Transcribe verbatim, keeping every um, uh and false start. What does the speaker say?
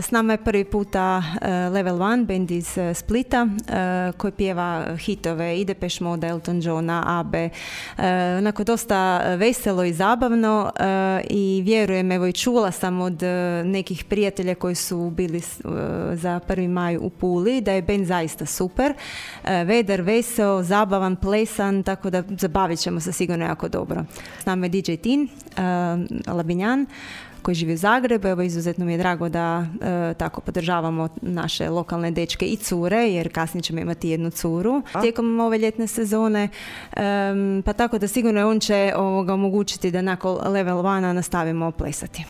S nama je prvi puta uh, Level One, band iz uh, Splita, uh, koji pjeva hitove i Depeche Mode, Elton Johna, Abbe. Uh, onako dosta veselo i zabavno uh, i vjerujem, evo i čula sam od uh, nekih prijatelja koji su bili uh, za prvi maj u Puli, da je band zaista super. Uh, vedar, veseo, zabavan, plesan, tako da zabavit ćemo se sigurno jako dobro. S nama je D J Tin, uh, Labinjan, koji živi u Zagrebu. Evo, izuzetno mi je drago da e, tako podržavamo naše lokalne dečke i cure, jer kasnije ćemo imati jednu curu A? tijekom ove ljetne sezone. E, pa tako da sigurno on će ovoga omogućiti da nakon Level One nastavimo plesati.